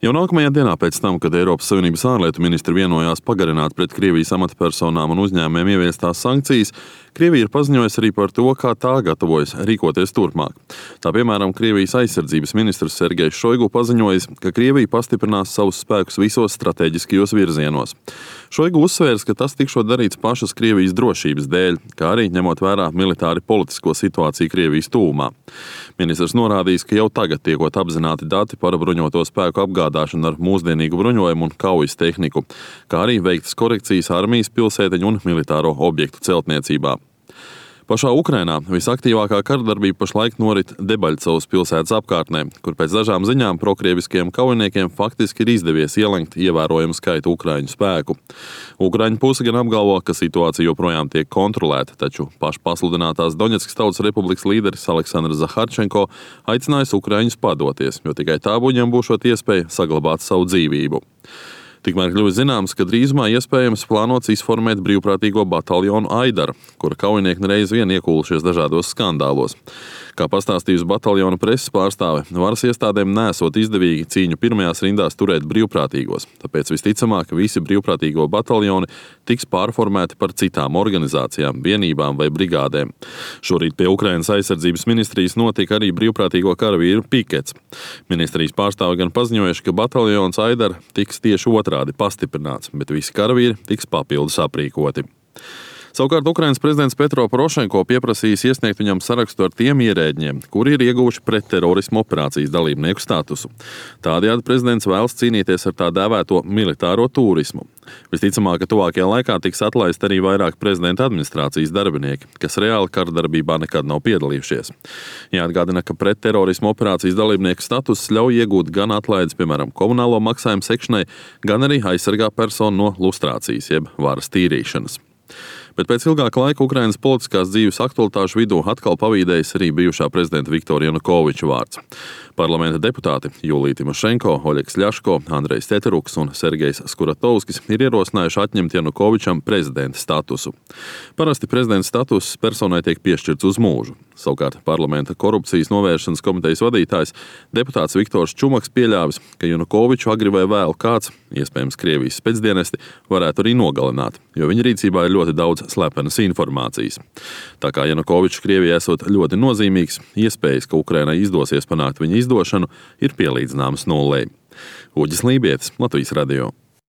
Jau nākamajā dienā pēc tam, kad Eiropas Savienības ārlietu ministri vienojās pagarināt pret Krievijas amatpersonām un uzņēmumiem ieviestās sankcijas, Krievija ir paziņojusi arī par to, kā tā gatavojas rīkoties turpmāk. Tā piemēram, Krievijas aizsardzības ministrs Sergejs Šoigu paziņojis, ka Krievija pastiprinās savus spēkus visos strateģiskajos virzienos. Šoigu uzsvērs, ka tas tikšot darīts pašas Krievijas drošības dēļ, kā arī ņemot vērā militāri politisko situāciju Krievijas tuvumā. Ministrs norādījis, ka jau tagad tiekot apzināti dati par bruņoto spēku apgādāšanu ar mūsdienīgu bruņojumu un kaujas tehniku, kā arī veiktas korekcijas armijas, pilsētiņu un militāro objektu celtniecībā. Pašā Ukrainā visaktīvākā karadarbība pašlaik norit Debaļcovas pilsētas apkārtnē, kur pēc dažām ziņām prokrieviskiem kaujiniekiem faktiski ir izdevies ielenkt ievērojamu skaitu ukraiņu spēku. Ukraiņu puse gan apgalvo, ka situācija joprojām tiek kontrolēta, taču pašpasludinātās Doņetskas Tautas Republikas līderis Aleksandrs Zaharčenko aicinājis ukraiņus padoties, jo tikai tā viņam būšot iespēja saglabāt savu dzīvību. Tikmēr kļuvis zināms, ka drīzumā iespējams plānots izformēt brīvprātīgo bataljonu Aidara, kura kaujinieki reiz vien iekūlušies dažādos skandālos. Kā pastāstījusi bataljona preses pārstāve, varas iestādēm nesot izdevīgi cīņu pirmajās rindās turēt brīvprātīgos, tāpēc visticamāk, ka visi brīvprātīgo bataljoni tiks pārformēti par citām organizācijām, vienībām vai brigādēm. Šorīt pie Ukrainas aizsardzības ministrijas notika arī brīvprātīgo karavīru pikets. Ministrijas pārstāve gan paziņojuši, ka bataljons Aidara tiks tieši otrādi pastiprināts, bet visi karavīri tiks papildus aprīkoti. Savukārt Ukrainas prezidents Petro Porošenko pieprasījis iesniegt viņam sarakstu ar tiem ierēģiem, kuri ir ieguvuši pretterorismu operācijas dalībnieku statusu. Tādējādi prezidents vēlas cīnīties ar tā dēvēto militāro turismu. Visticamāk, ka tuvākajā laikā tiks atlaist arī vairāk prezidenta administrācijas darbinieki, kas reāli karadarbībā nekad nav piedalījušies. Jāatgādina, ka pretterorismu operācijas dalībnieku status ļauj iegūt gan atlaides, piemēram, komunālo maksājumu sekšanai, gan arī aizsargā personu no lustrācijas, jeb varas tīrīšanas. Bet pēc ilgāka laika Ukrainas politiskās dzīves aktualitāšu vidū atkal pavīdējis arī bijušā prezidenta Viktora Janukoviča vārds. Parlamenta deputāti Julija Timošenko, Oļegs Ļaško, Andrejs Teteruks un Sergejs Skuratovskis ir ierosinājuši atņemt Janukovičam prezidenta statusu. Parasti prezidenta status personai tiek piešķirts uz mūžu. Savukārt parlamenta korupcijas novēršanas komitejas vadītājs deputāts Viktors Čumaks pieļāvis, ka Janukoviču agri vai vēl kāds, iespējams Krievijas specdienesti, varētu arī nogalināt, jo viņa rīcībā ir ļoti daudz slepenas informācijas. Tā kā Janukovičs Krievijai esot ļoti nozīmīgs, iespējas, ka Ukrainai izdosies panākt viņa izdošanu, ir pielīdzināmas nullei. Uģis Lībietis, Latvijas radio.